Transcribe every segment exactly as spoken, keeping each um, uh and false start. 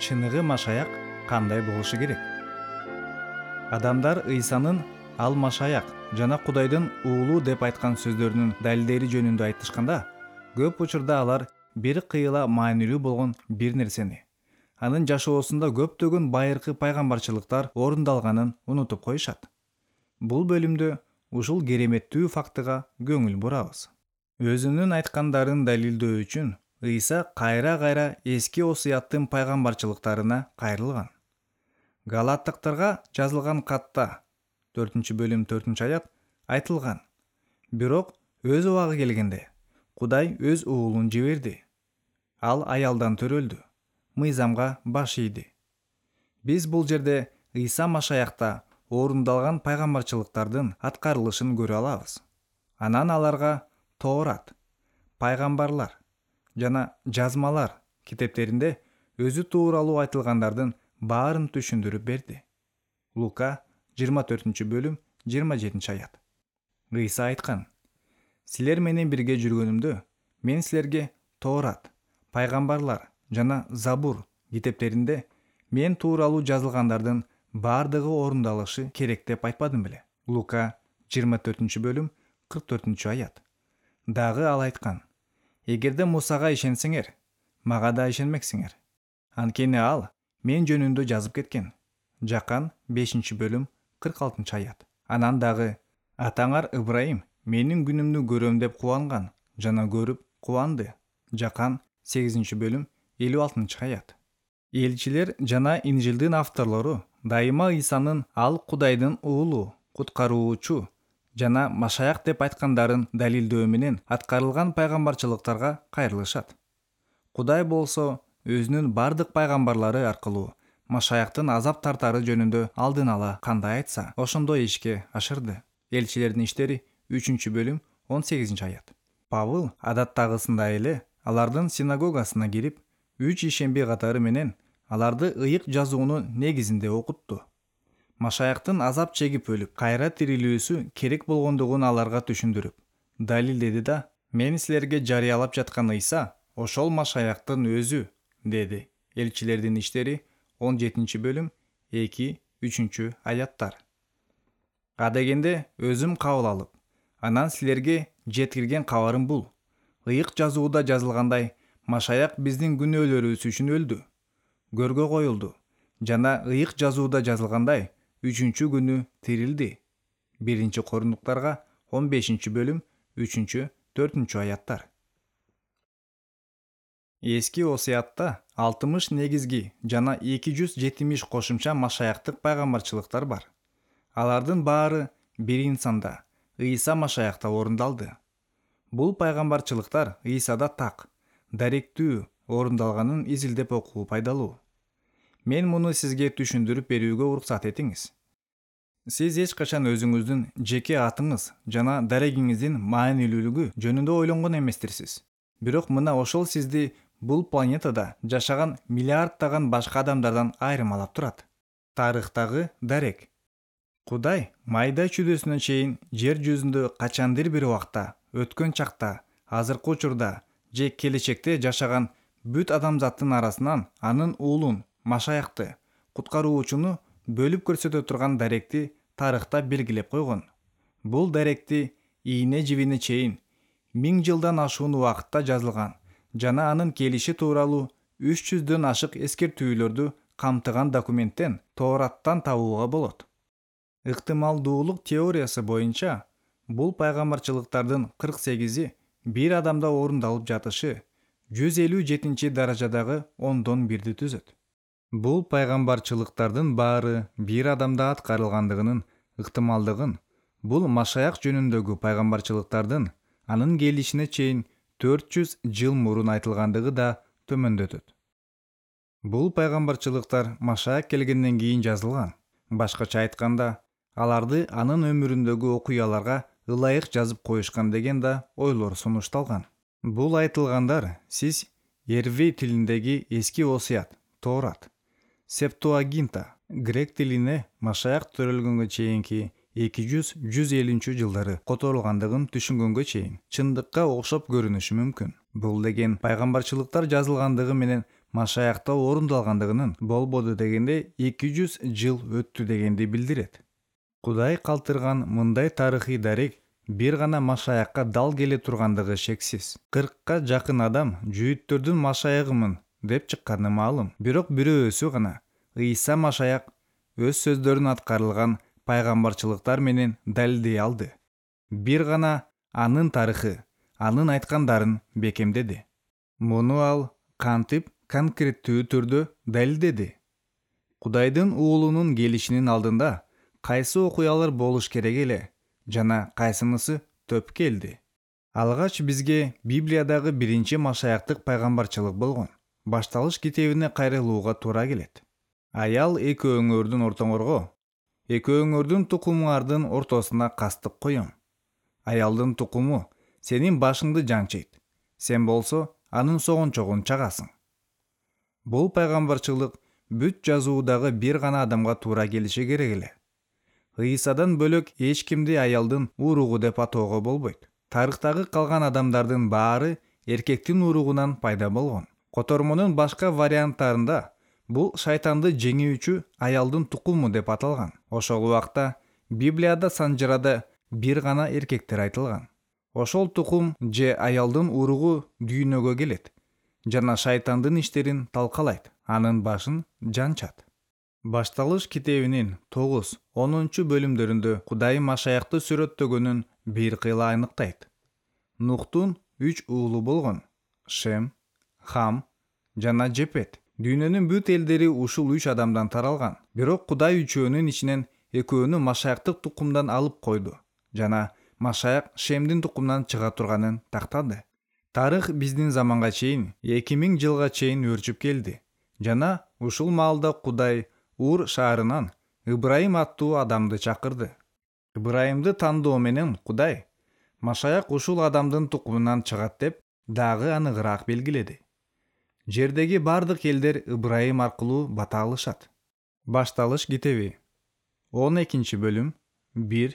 чыныгы машаяк кандай болушу керек? Адамдар Ыйсанын ал машаяк жана Кудайдын уулу деп айткан сөздөрүнүн далилдери жөнүндө айтышканда, көп учурда алар бир кыйла маанилүү болгон бир нерсени, анын жашоосунда көптөгөн байыркы пайгамбарчылыктар орундалганын унутуп коюшат. Бул бөлүмдө ушул кереметтүү фактыга көңүл бурабыз. Өзүнүн айткандарын далилдөө үчүн Ыйса кайра-кайра эски осуяттын пайгамбарчылыктарына кайрылган. Галаттыктарга жазылган катта төртүнчү бөлүм төртүнчү аят айтылган: бирок өз убагы келгенде Кудай өз уулун жиберди. Ал аялдан төрөлдү, мыйзамга баш ийди. Биз бул жерде Ыйса машаякта орундалган пайгамбарчылыктардын аткарылышын көрө алабыз. Анан аларга Тоорат, пайгамбарлар жана жазмалар китептеринде өзү тууралуу айтылгандардын баарын түшүндүрүп берди. Лука жыйырма төртүнчү бөлүм жыйырма жетинчи аят. Ыйса айткан: силер менен бирге жүргөнүмдө мен силерге Тоорат, пайгамбарлар жана Забур китептеринде мен тууралуу жазылгандардын баардыгы орундалышы керек деп айтпадым беле? Лука жыйырма төртүнчү бөлүм кырк төртүнчү аят. Дагы ал айткан: эгерде Мусага ишенсеңер, мага да ишенмексиңер. Анткени ал мен жөнүндө жазып кеткен. Жакан бешинчи бөлүм кырк алтынчы аят. Анан дагы: атаңар Ыбрайым менин күнүмдү көрөм деп кубанган жана көрүп кубанды. Жакан сегизинчи бөлүм элүү алтынчы аят. Элчилер жана Инжилдин авторлору дайыма Ыйсанын ал Кудайдын уулу, куткаруучу жана машаяк деп айткандарын далилдөө менен аткарылган пайгамбарчылыктарга кайрылышат. Кудай болсо өзүнүн бардык пайгамбарлары аркылуу машаяктын азап тартары жөнүндө алдын ала кандай айтса, ошондой ишке ашырды. Элчилердин иштери үчүнчү бөлүм он сегизинчи аят. Павыл адаттагысындай эле алардын синагогасына кирип, үч ишемби катары менен аларды ыйык жазуунун негизинде окутту. Машаяктын азап чегип өлүп, кайра тирилүүсү керек болгондугун аларга түшүндүрүп, далилдеди да: мен силерге жарыялап жаткан Ыйса ошол машаяктын өзү, деди. Элчилердин иштери он жетинчи бөлүм эки үчүнчү аяттар. Адегенде өзүм кабыл алып, анан силерге жеткирген кабарым бул: ыйык жазууда жазылгандай, машаяк биздин күнөөлөрүбүз үчүн өлдү, көргө коюлду жана ыйык жазууда жазылгандай, үчүнчү күнү тирилди. Биринчи Корундуктарга он бешинчи бөлүм үчүнчү төртүнчү аяттар. Эски осуятта алтымыш негизги жана эки жүз жетимиш кошумча машаяктык пайгамбарчылыктар бар. Алардын баары бир инсанда, Ыйса машаякта орундалды. Бул пайгамбарчылыктар Ыйсада так, даректүү орундалганын изилдеп окуу пайдалуу. Мен муну сизге түшүндүрүп берүүгө уруксат этиңиз. Сиз эч качан өзүңүздүн жеке атыңыз жана дарегиңиздин маанилүүлүгү жөнүндө ойлонгон эместирсиз. Бирок мына ошол сизди бул планетада жашаган миллиарддаган башка адамдардан айырмалап турат. Тарыхтагы дарек. Кудай майда чүдөсүнө чейин жер жүзүндө качандыр бир убакта, өткөн чакта, азыркы учурда же келечекте жашаган бүт адамзаттын арасынан анын уулун, машаякты, куткаруучуну бөлүп көрсөтө турган даректи тарыхта белгилеп койгон. Бул даректи ийне жибине чейин миң жылдан ашуун убакытта жазылган жана анын келиши тууралуу үч жүздөн ашык эскертүүлөрдү камтыган документтен, Тоораттан табууга болот. Ыктымалдуулук теориясы боюнча бул пайгамбарчылыктардын кырк сегизи бир адамда орундалып жатышы жүз элүү жетинчи даражадагы ондон бирди түзөт. Бул пайгамбарчылыктардын баары бир адамда аткарылгандыгынын ыктымалдыгын бул машаяк жөнүндөгү пайгамбарчылыктардын анын келишине чейин төрт жүз жыл мурун айтылгандыгы да төмөндөтөт. Бул пайгамбарчылыктар машаяк келгенден кийин жазылган. Башкача айтканда, аларды анын өмүрүндөгү окуяларга ылайык жазып коюшкан деген да ойлор сунушталган. Бул айтылгандар сиз Ервей тилиндеги эски осуят, Тоорат, Септуагинта, грек тилине машаяк төрөлгөнгө чейинки эки жүз - жүз элүүнчү жылдары которулгандыгын түшүнгөнгө чейин чындыкка окшоп көрүнүшү мүмкүн. Бул деген пайгамбарчылыктар жазылгандыгы менен Машаякта орундалгандыгынын болбоду дегенде эки жүз жыл өттү дегенди билдирет. Кудай калтырган мындай тарыхый дарек бир гана Машаякка дал келе тургандыгы шексиз. кыркка жакын адам жүйүттөрдүн Машаягымын деп чыкканы маалым. Бирок бирөөсү гана Ыйса Машаяк өз сөздөрүн аткарылган пайгамбарчылыктар менен далилдей алды. Бир гана анын тарыхы, анын айткандарын бекемдеди. Муну ал кантип конкреттүү түрдө далилдеди? Кудайдын уулунун келишинин алдында кайсы окуялар болуш керек эле жана кайсынысы төп келди? Алгач бизге Библиядагы биринчи Машаяктык пайгамбарчылык болгон Башталыш китебине кайрылууга туура келет. Аял экөөңөрдүн ортоңорго, экөөңөрдүн тукумуңардын ортосуна кастык коём. Аялдын тукуму сенин башыңды жанчыйт, сен болсо анын согончогун чагасың. Бул пайгамбарчылык бүт жазуудагы бир гана адамга туура келиши керек эле. Ыйсадан бөлөк эч кимди аялдын уругу деп атоого болбойт. Тарыхтагы калган адамдардын баары эркектин уругунан пайда болгон. Котормонун башка варианттарында бул шайтанды жеңүүчү аялдын тукуму деп аталган. Ошол убакта Библияда санжырада бир гана эркектер айтылган. Ошол тукум же аялдын уругу дүйнөгө келет жана шайтандын иштерин талкалайт, анын башын жанчат. Башталыш китебинин тогуз онунчу бөлүмдөрүндө Кудай Машаякты сүрөттөгөнүн бир кыйла айныктайт. Нухтун үч уулу болгон: Шем, Хам жана Жепет. Дүйнөнүн бүт элдери ушул үч адамдан таралган. Бирок Кудай үчөөнүн ичинен экөөнү Машаяктык тукумдан алып койду жана Машаяк Шемдин тукумунан чыга турганын тактады. Тарых биздин заманга чейин эки миң жылга чейин өрчүп келди жана ушул маалда Кудай Ур шаарынан Ыбрайым аттуу адамды чакырды. Ыбрайымды тандоо менен Кудай Машаяк ушул адамдын тукумунан чыгат деп дагы аныгыраак белгиледи. Жердеги бардык элдер Ыбрайым аркылуу бата алышат. Башталыш китеби он экинчи бөлүм бир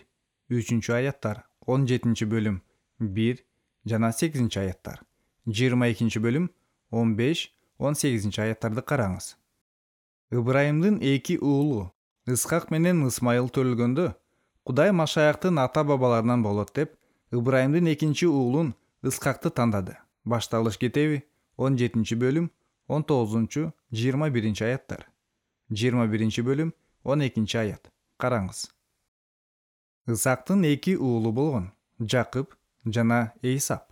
үчүнчү аяттар, он жетинчи бөлүм бир жана сегизинчи аяттар, жыйырма экинчи бөлүм он беш он сегизинчи аяттарды караңыз. Ыбрайымдын эки уулу Исхак менен Исмайыл төрөлгөндө Кудай Машаяктын ата-бабаларынан болот деп Ыбрайымдын экинчи уулун Исхакты тандады. Башталыш китеби он жетинчи бөлүм он тогузунчу жыйырма биринчи аяттар, жыйырма биринчи бөлүм он экинчи аят. Караңыз. Исхактын эки уулу болгон: Жакып жана Эйсап.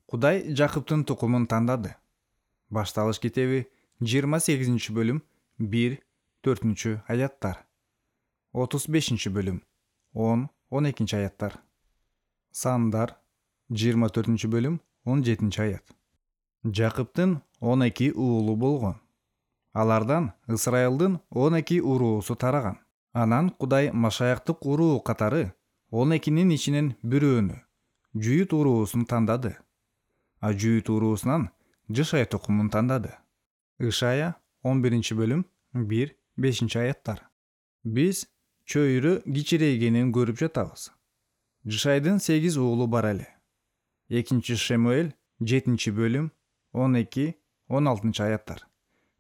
Кудай Жакыптын тукумун тандады. Башталыш китеби жыйырма сегизинчи бөлүм бир төртүнчү аяттар, отуз бешинчи бөлүм он он экинчи аяттар. Сандар жыйырма төртүнчү бөлүм он жетинчи аят. Жакыптын он эки уулу болгон. Алардан Исрайылдын он эки уруусу тараган. Анан Кудай Машаяктык уруу катары он экинин ичинен бирөөнү, Жүйүт уруусун тандады. А Жүйүт уруусунан Жышай тукумун тандады. Ишая он биринчи бөлүм бир бешинчи аяттар. Биз чөйрө кичирейгенин көрүп жатабыз. Жышайдын сегиз уулу бар эле. Экинчи Шемуэль жетинчи бөлүм он эки он алтынчы аяттар.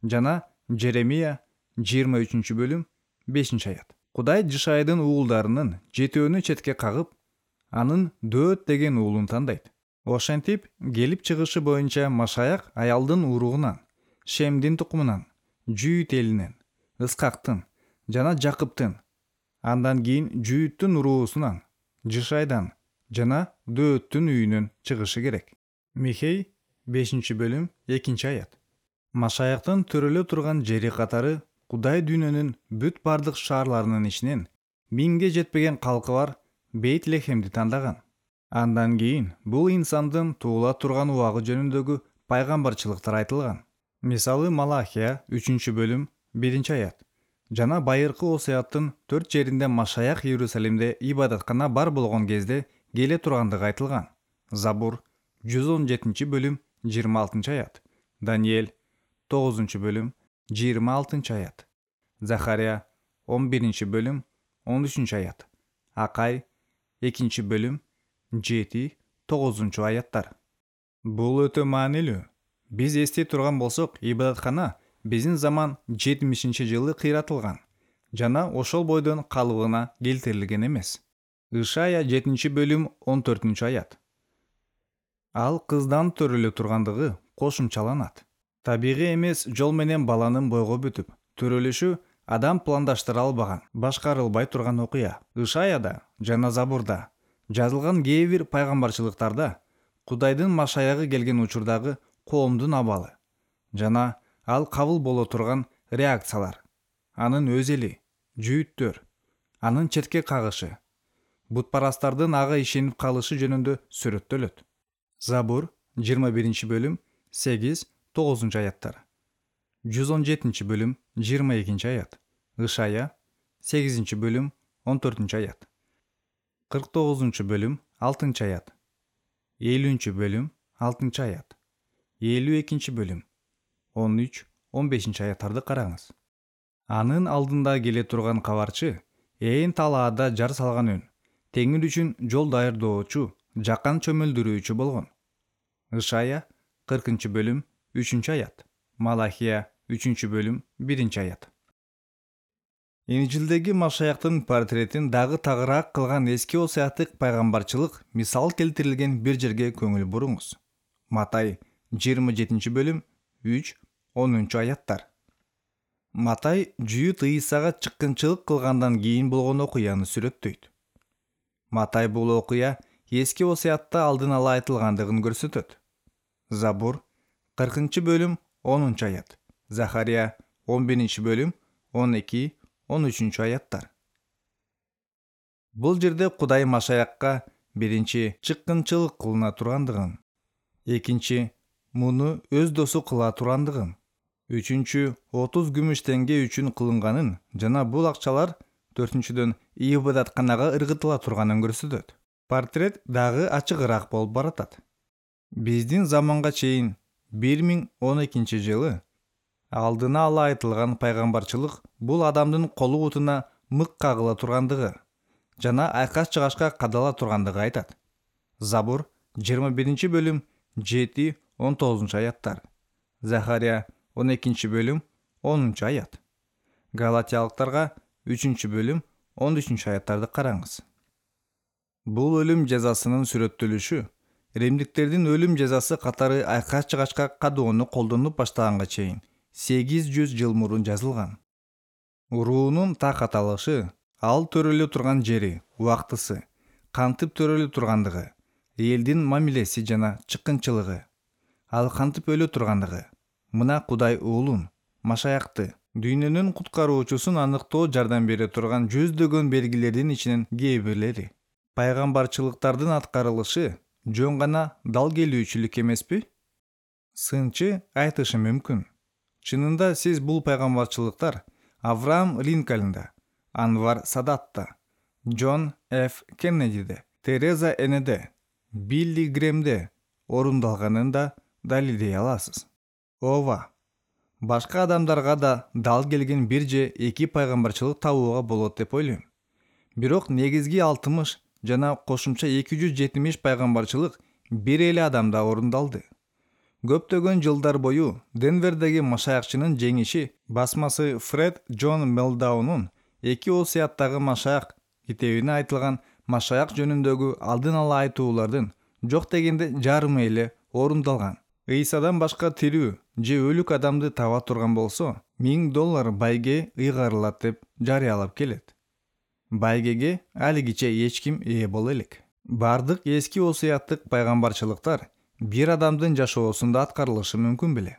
Жана Жеремия жыйырма үчүнчү бөлүм бешинчи аят. Кудай Жышайдын уулдарынын жетөөнү четке кагып, анын Дөөт деген уулун тандайт. Ошентип, келип чыгышы боюнча Машаяк аялдын уругунан, Шемдин тукумунан, Жүйүт элинен, Исхактын жана Жакыптын, андан кийин Жүйүттүн уруусунан, Жышайдан жана Дөөттүн үйүнөн чыгышы керек. Михей бешинчи бөлүм экинчи аят. Машаяктын төрөлө турган жери катары Кудай дүйнөнүн бүт бардык шаарларынын ичинен миңге жетпеген калкы бар Бейт-Лехемди тандаган. Андан кийин бул инсандын туула турган убагы жөнүндөгү пайгамбарчылыктар айтылган. Мисалы Малахия үчүнчү бөлүм биринчи аят. Жана байыркы Осуяттын төрт жеринде Машаяк Иерусалимде ибадаткана бар болгон кезде келе тургандыгы айтылган. Забур жүз он жетинчи бөлүм жыйырма алтынчы аят. Даниэль тогузунчу бөлүм жыйырма алтынчы аят. Захария он биринчи бөлүм он үчүнчү аят. Акай экинчи бөлүм жети тогузунчу аяттар. Бул өтө маанилүү. Биз эстей турган болсок, ибадаткана биздин заман жетимишинчи жылы кыйратылган жана ошол бойдон калыбына келтирилген эмес. Ышая жетинчи бөлүм он төртүнчү аят. Ал кыздан төрөлө тургандыгы кошумчаланат. Табигый эмес жол менен баланын бойго бүтүп, төрөлүшү адам пландаштыра албаган, башкарылбай турган окуя. Ышаяда жана Забурда жазылган кээ бир пайгамбарчылыктарда Кудайдын машаягы келген учурдагы коомдун абалы жана ал кабыл боло турган реакциялар, анын өз эли, жүйүттөр, анын четке кагышы, бутпарастардын ага ишенип калышы жөнүндө сүрөттөлөт. Забур жыйырма биринчи бөлүм сегиз тогузунчу аяттар. жүз он жетинчи бөлүм жыйырма экинчи аят. Ышая сегизинчи бөлүм он төртүнчү аят. кырк тогузунчу бөлүм алтынчы аят. элүүнчү бөлүм алтынчы аят. элүү экинчи бөлүм он үч он бешинчи аяттарды караңыз. Анын алдында келе турган кабарчы ээн талаада жар салган үн, теңир үчүн жол даярдоочу, жакан чөмүлдүрүүчү болгон. Ышая кыркынчы бөлүм үчүнчү аят. Малахия үчүнчү бөлүм биринчи аят. Инжилдеги Машаяктын портретин дагы тагыраак кылган эски осуяттык пайгамбарчылык мисал келтирилген бир жерге көңүл буруңуз. Матай жыйырма жетинчи бөлүм үч онунчу аяттар. Матай жүйүт Ыйсага чыккынчылык кылгандан кийин болгон окуяны сүрөттөйт. Матай бул окуя эски осуятта алдын ала айтылгандыгын көрсөтөт. Забур кыркынчы бөлүм онунчу аят. Захария он биринчи бөлүм он эки он үчүнчү аяттар. Бул жерде Кудай Машаякка биринчи чыккынчылык кылына тургандыгын, экинчи муну өз досу кыла тургандыгын, үчүнчү отуз күмүш теңге үчүн кылынганын жана бул акчалар төртүнчүдөн ибадатканага ыргытыла турганын көрсөтөт. Портрет дагы ачыгыраак болуп баратат. Биздин заманга чейин бир миң он экинчи жылы алдына ала айтылган пайгамбарчылык бул адамдын колу бутуна мык кагыла тургандыгы жана айкаш чыгашка кадала тургандыгы айтат. Забур жыйырма биринчи бөлүм жети он тогузунчу аяттар. Захария он экинчи бөлүм онунчу аят. Галатиялыктарга үчүнчү бөлүм он үчүнчү аяттарды караңыз. Бул өлүм жазасынын сүрөттөлүшү римдиктердин өлүм жазасы катары айкаш чыгашка кадоону колдонуп баштаганга чейин сегиз жүз жыл мурун жазылган. Уруунун такат алышы, ал төрөлө турган жери, убактысы, кантип төрөлө тургандыгы, элдин мамилеси жана чыккынчылыгы, ал кантип өлө тургандыгы, мына Кудай уулун, Машаякты, дүйнөнүн куткаруучусун аныктоо жардам бере турган жүздөгөн белгилердин ичинен кээ бирлери. Пайгамбарчылыктардын аткарылышы жөн гана дал келүүчүлүк эмеспи? Сынчы айтышы мүмкүн. Чынында сиз бул пайгамбарчылыктар Авраам Линкольнда, Анвар Садатта, Джон Ф. Кеннедиде, Тереза Энеде, Билли Гремде орундалганын да далилдей аласыз. Ооба, башка адамдарга да дал келген бир же эки пайгамбарчылык табууга болот деп ойлойм. Бирок негизги алтымыш жана кошумча эки жүз жетимиш пайгамбарчылык бир эле адамда орундалды. Көптөгөн жылдар бою Денвердеги Машаякчынын жеңиши басмасы Фред Джон Мелдаунун эки осуяттагы Машаяк китебине айтылган Машаяк жөнүндөгү алдын ала айтуулардын жок дегенде жарымы эле орундалган. Ыйсадан башка тирүү же өлүк адамды таба турган болсо, миң доллар байге ыйгарылат деп жарыялап келет. Байгеге алигиче эч ким ээ боло элек. Бардык эски осуяттык пайгамбарчылыктар бир адамдын жашоосунда аткарылышы мүмкүн беле?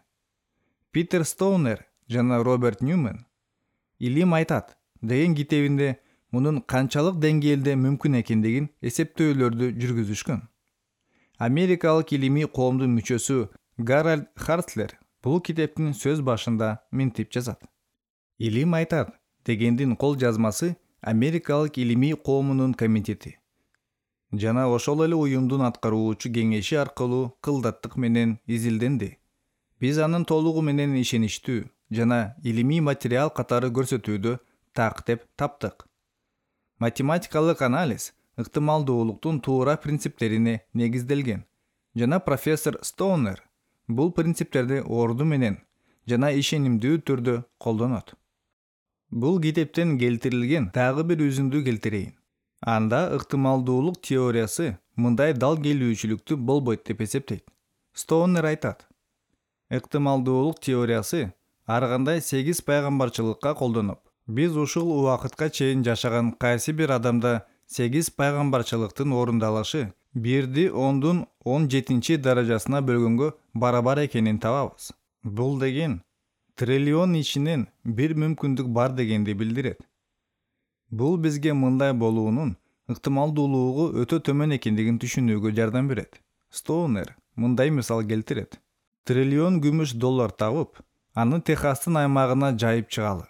Питер Стоунер жана Роберт Ньюмен «Илим айтат» деген китебинде мунун канчалык деңгээлде мүмкүн экендигин эсептөөлөрдү жүргүзүшкөн. Америкалык илимий коомдун мүчөсү Гарольд Хартлер бул китептин сөз башында мынтип жазат. «Илим айтат» дегендин кол жазмасы Америкалык илимий коомунун комитети жана ошол эле уюмдун аткаруучу кеңеши аркылуу кылдаттык менен изилденди. Биз анын толугу менен ишеничтүү жана илимий материал катары көрсөтүүдө так деп таптык. Математикалык анализ ыктымалдуулуктун туура принциптерине негизделген жана профессор Стоунер бул принциптерди орду менен жана ишенимдүү түрдө колдонот. Бул китептен келтирилген дагы бир үзүндү келтирейин. Анда ыктымалдуулук теориясы мындай дал келүүчүлүктү болбойт деп эсептейт. Стоунер айтат: ыктымалдуулук теориясы ар кандай сегиз пайгамбарчылыкка колдоноп, биз ушул убакытка чейин жашаган кайсы бир адамда сегиз пайгамбарчылыктын орундалышы бирди ондун он жетинчи даражасына бөлгөнгө барабар экенин табабыз. Бул деген триллион ичинен бир мүмкүндүк бар дегенди билдирет. Бул бизге мындай болуунун ыктымалдуулугу өтө төмөн экендигин түшүнүүгө жардам берет. Стоунер мындай мисал келтирет: триллион күмүш доллар табып, аны Техастын аймагына жайып чыгалы.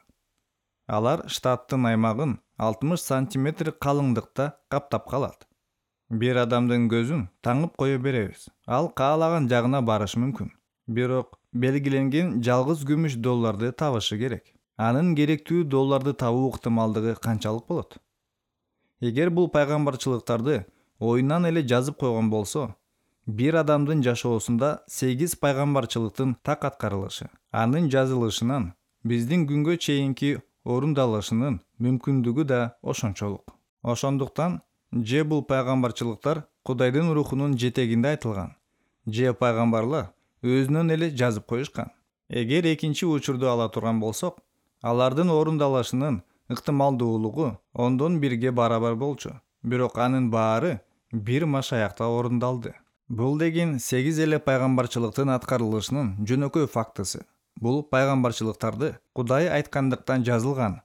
Алар штаттын аймагын алтымыш сантиметр калыңдыкта каптап калат. Бир адамдын көзүн таңып кое беребиз. Ал каалаган жагына барышы мүмкүн. Бирок белгиленген жалгыз күмүш долларды табышы керек. Анын керектүү долларды табуу ыктымалдыгы канчалык болот? Эгер бул пайгамбарчылыктарды оюнан эле жазып койгон болсо, бир адамдын жашоосунда сегиз пайгамбарчылыктын так аткарылышы, анын жазылышынан биздин күнгө чейинки орундалышынын мүмкүндүгү да ошончолук. Ошондуктан же бул пайгамбарчылыктар Кудайдын рухунун жетегинде айтылган, же пайгамбарлар өзүнөн эле жазып коюшкан. Эгер экинчи учурду ала турган болсок, алардын орундалышынын ыктымалдуулугу ондон бирге барабар болчу. Бирок анын баары бир машаякта орундалды. Бул деген сегиз эле пайгамбарчылыктын аткарылышынын жөнөкөй фактысы. Бул пайгамбарчылыктарды Кудай айткандыктан жазылган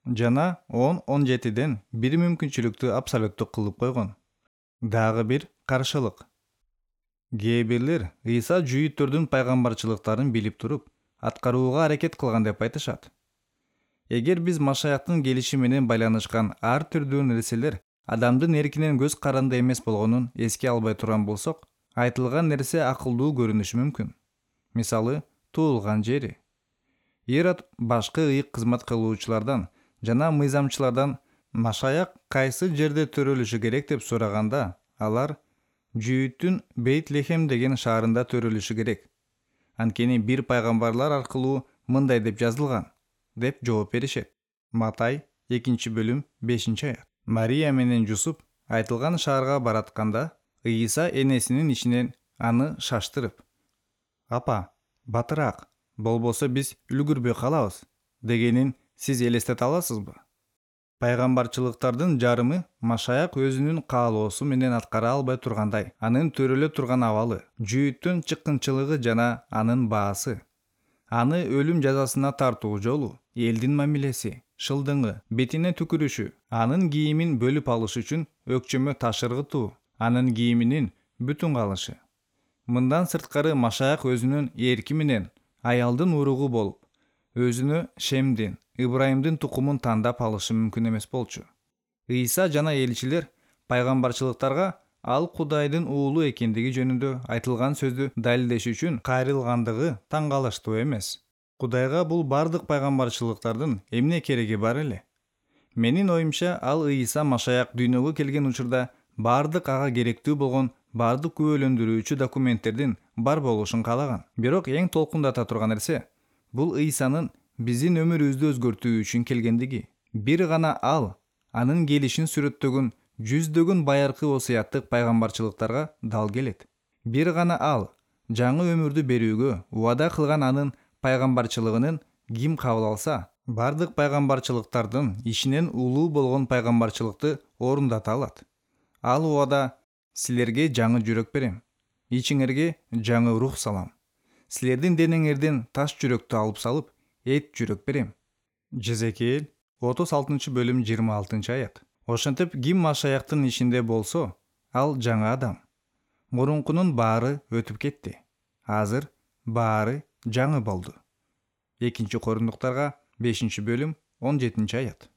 жана он он жетиден бир мүмкүнчүлүктү абсолюттук кылып койгон. Дагы бир каршылык. Кээ бирлер Ыйса жүйүттөрдүн пайгамбарчылыктарын билип туруп, аткарууга аракет кылган деп айтышат. Эгер биз машаяктын келиши менен байланышкан ар түрдүү нерселер адамдын эркинен көз каранды эмес болгонун эске албай турган болсок, айтылган нерсе акылдуу көрүнүшү мүмкүн. Мисалы, туулган жери. Ирод башкы ыйык кызмат кылуучулардан жана мыйзамчылардан машаяк кайсы жерде төрөлүшү керек деп сураганда, алар Жүйүттүн Бейт-Лехем деген шаарында төрөлүшү керек. Анткени бир пайгамбарлар аркылуу мындай деп жазылган, деп жооп беришет. Матай экинчи бөлүм бешинчи аят. Мария менен Жусуп айтылган шаарга баратканда, Ыйса энесинин ичинен аны шаштырып: "Апа, батыраак, болбосо биз үлгүрбөй калабыз" дегенин сиз элестете аласызбы? Пайгамбарчылыктардын жарымы машаяк өзүнүн каалоосу менен аткара албай тургандай, анын төрөлө турган абалы, жүйүттүн чыккынчылыгы жана анын баасы, аны өлүм жазасына тартуу жолу, элдин мамилеси, шылдыңы, бетине түкүрүшү, анын кийимин бөлүп алыш үчүн өкчөмө таш ыргытуу, анын кийиминин бүтүн калышы. Мындан сырткары машаяк өзүнүн эрки менен аялдын уругу болуп, өзүнө Шемдин, Ибрайымдын тукумун тандап алышы мүмкүн эмес болчу. Ыйса жана элчилер пайгамбарчылыктарга ал Кудайдын уулу экендиги жөнүндө айтылган сөздү далилдеш үчүн кайрылгандыгы таң калыштуу эмес. Кудайга бул бардык пайгамбарчылыктардын эмне кереги бар эле? Менин оюмча, ал Ыйса машаяк дүйнөгө келген учурда бардык ага керектүү болгон бардык күбөлөндүрүүчү документтердин бар болушун каалаган. Бирок эң толкундата турган нерсе бул Ыйсанын биздин өмүрүбүздү өзгөртүү үчүн келгендиги. Бир гана ал анын келишин сүрөттөгөн жүздөгөн байыркы осуяттык пайгамбарчылыктарга дал келет. Бир гана ал жаңы өмүрдү берүүгө убада кылган анын пайгамбарчылыгынын ким кабыл алса, бардык пайгамбарчылыктардын ишинен улуу болгон пайгамбарчылыкты орундата алат. Ал убада: "Силерге жаңы жүрөк берем, ичиңерге жаңы рух салам. Силердин денеңерден таш жүрөктү алып салып, эт жүрөк берем." Жезекиэл отуз алтынчы бөлүм жыйырма алтынчы аят. Ошентип, ким машаяктын ишинде болсо, ал жаңы адам. Мурункунун баары өтүп кетти. Азыр баары жаңы болду. экинчи Кориндуктарга бешинчи бөлүм он жетинчи аят.